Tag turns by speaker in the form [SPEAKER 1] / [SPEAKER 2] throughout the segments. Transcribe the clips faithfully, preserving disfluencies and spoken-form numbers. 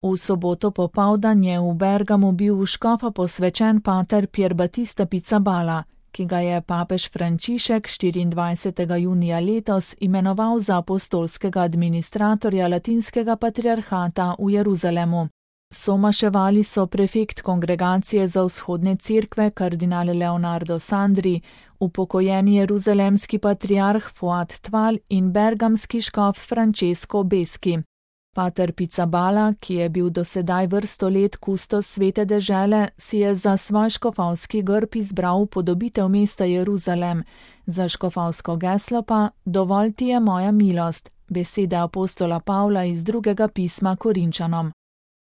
[SPEAKER 1] V soboto popoldan je v Bergamu bil v škofa posvečen pater Pier Battista Pizzaballa, ki ga je papež Frančišek štiriindvajsetega junija letos imenoval za apostolskega administratorja latinskega patriarhata v Jeruzalemu. Somaševali so prefekt kongregacije za vzhodne cerkve kardinal Leonardo Sandri, upokojeni jeruzalemski patriarh Fuad Tval in bergamski škof Francesco Beski. Pater Pizzaballa, ki je bil dosedaj vrsto let kustos svete dežele, si je za svoj škofovski grb izbral upodobitev mesta Jeruzalem, za škofovsko geslo pa Dovolj ti je moja milost, besede apostola Pavla iz drugega pisma Korinčanom.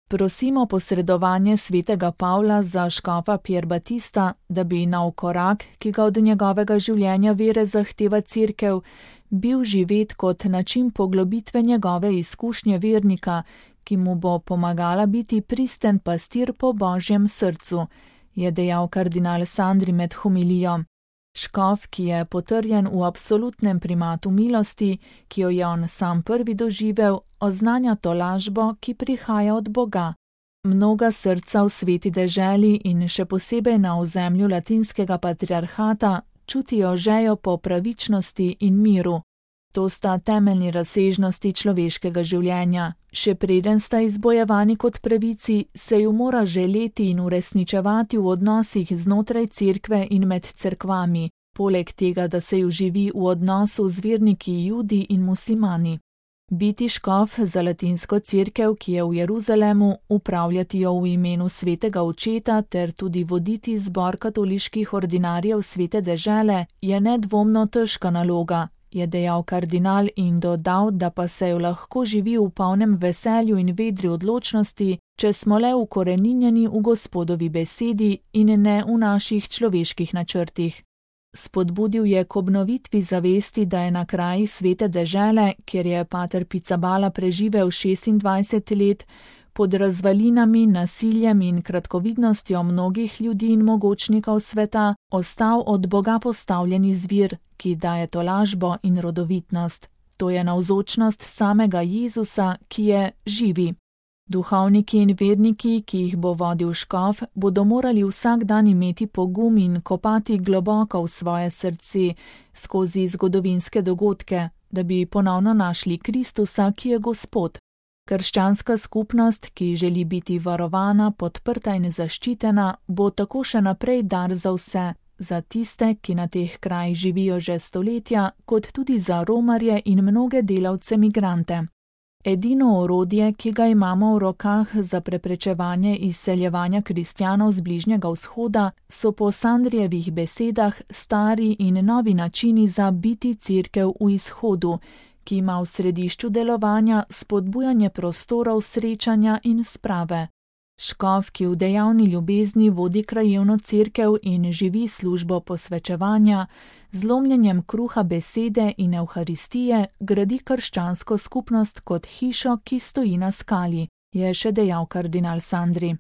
[SPEAKER 1] Prosimo posredovanje svetega Pavla za škofa Pier Battista, da bi nov korak, ki ga od njegovega življenja vere zahteva cerkev, bil živet kot način poglobitve njegove izkušnje vernika, ki mu bo pomagala biti pristen pastir po Božjem srcu, je dejal kardinal Sandri med homilijo. Škof, ki je potrjen v absolutnem primatu milosti, ki jo je on sam prvi doživel, oznanja tolažbo, ki prihaja od Boga. Mnoga srca v sveti deželi in še posebej na ozemlju latinskega patriarhata čutijo žejo po pravičnosti in miru. To sta temeljni razsežnosti človeškega življenja. Še preden sta izbojevani kot pravici, se ju mora želeti in uresničevati v odnosih znotraj cerkve in med cerkvami, poleg tega, da se ju živi v odnosu z verniki Judi in muslimani. Biti škof za latinsko cerkev, ki je v Jeruzalemu, upravljati jo v imenu svetega očeta ter tudi voditi zbor katoliških ordinarjev svete dežele, je nedvomno težka naloga, je dejal kardinal in dodal, da pa se jo lahko živi v polnem veselju in vedri odločnosti, če smo le ukoreninjeni v Gospodovi besedi in ne v naših človeških načrtih. Spodbudil je k obnovitvi zavesti, da je na kraji svete dežele, kjer je pater Pizzaballa preživel šestindvajset let, pod razvalinami, nasiljem in kratkovidnostjo mnogih ljudi in mogočnikov sveta, ostal od Boga postavljen izvir, ki daje tolažbo in rodovitnost. To je navzočnost samega Jezusa, ki je živi. Duhovniki in verniki, ki jih bo vodil škof, bodo morali vsak dan imeti pogum in kopati globoko v svoje srce skozi zgodovinske dogodke, da bi ponovno našli Kristusa, ki je Gospod. Krščanska skupnost, ki želi biti varovana, podprta in zaščitena, bo tako še naprej dar za vse, za tiste, ki na teh krajih živijo že stoletja, kot tudi za romarje in mnoge delavce migrante. Edino orodje, ki ga imamo v rokah za preprečevanje izseljevanja kristjanov z Bližnjega vzhoda, so po Sandrijevih besedah stari in novi načini za biti cerkev v izhodu, ki ima v središču delovanja spodbujanje prostorov srečanja in sprave. Škof, ki v dejavni ljubezni vodi krajevno cerkev in živi službo posvečevanja, z lomljenjem kruha besede in evharistije gradi krščansko skupnost kot hišo, ki stoji na skali, je še dejal kardinal Sandri.